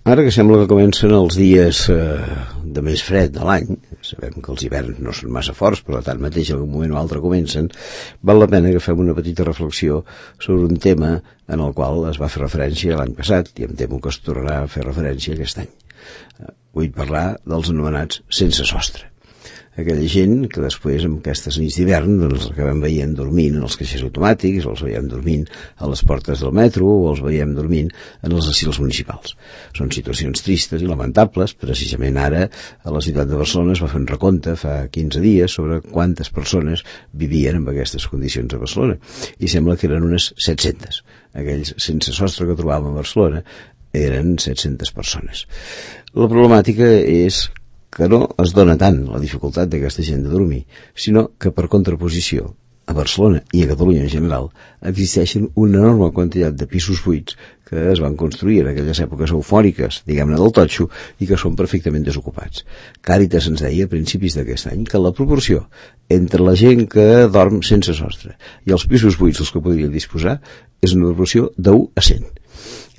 Ara que sembla que comencen els dies de més fred de l'any, sabem que els hiverns no són massa forts, però tanmateix en un moment o altre comencen, val la pena que fem una petita reflexió sobre un tema en el qual es va fer referència l'any passat i em temo que es tornarà a fer referència aquest any. Vull parlar dels anomenats sense sostre. Aquella gent que després, amb aquestes nits d'hivern, doncs els acabem veient dormint en els caixers automàtics, o els veiem dormint a les portes del metro, o els veiem dormint en els asils municipals. Són situacions tristes i lamentables. Precisament ara, a la ciutat de Barcelona es va fer un recompte fa 15 dies sobre quantes persones vivien en aquestes condicions a Barcelona. I sembla que eren unes 700. Aquells sense sostre que trobàvem a Barcelona eren 700 persones. La problemàtica és que no es dona tant la dificultat d'aquesta gent de dormir, sinó que per contraposició, a Barcelona i a Catalunya en general, existeixen una enorme quantitat de pisos buits que es van construir en aquelles èpoques eufòriques, diguem-ne del totxo, i que són perfectament desocupats. Càritas ens deia a principis d'aquest any que la proporció entre la gent que dorm sense sostre i els pisos buits dels que podrien disposar és una proporció d'1 a 100.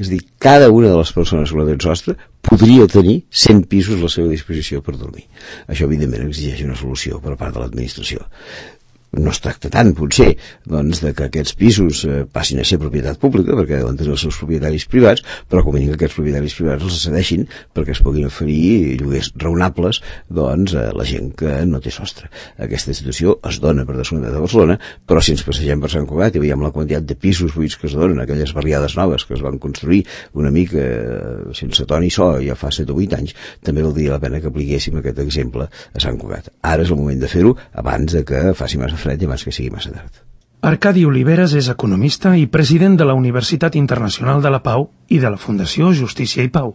És a dir, cada una de les persones que no tenen sostre podria tenir 100 pisos a la seva disposició per dormir. Això, evidentment, exigeix una solució per part de l'administració. No es tracta tant, potser, doncs, de que aquests pisos passin a ser propietat pública, perquè deuen tenir els seus propietaris privats, però com a mínim que aquests propietaris privats els cedeixin perquè es puguin oferir lloguers raonables, doncs, a la gent que no té sostre. Aquesta situació es dona per descomptat a Barcelona, però si ens passegem per Sant Cugat i veiem la quantitat de pisos buits que es donen, aquelles barriades noves que es van construir una mica sense ton i so ja fa 7 o 8 anys, també valdria la pena que apliquéssim aquest exemple a Sant Cugat. Ara és el moment de fer-ho abans de que faci massa fred i abans que sigui massa tard. Arcadi Oliveres és economista i president de la Universitat Internacional de la Pau i de la Fundació Justícia i Pau.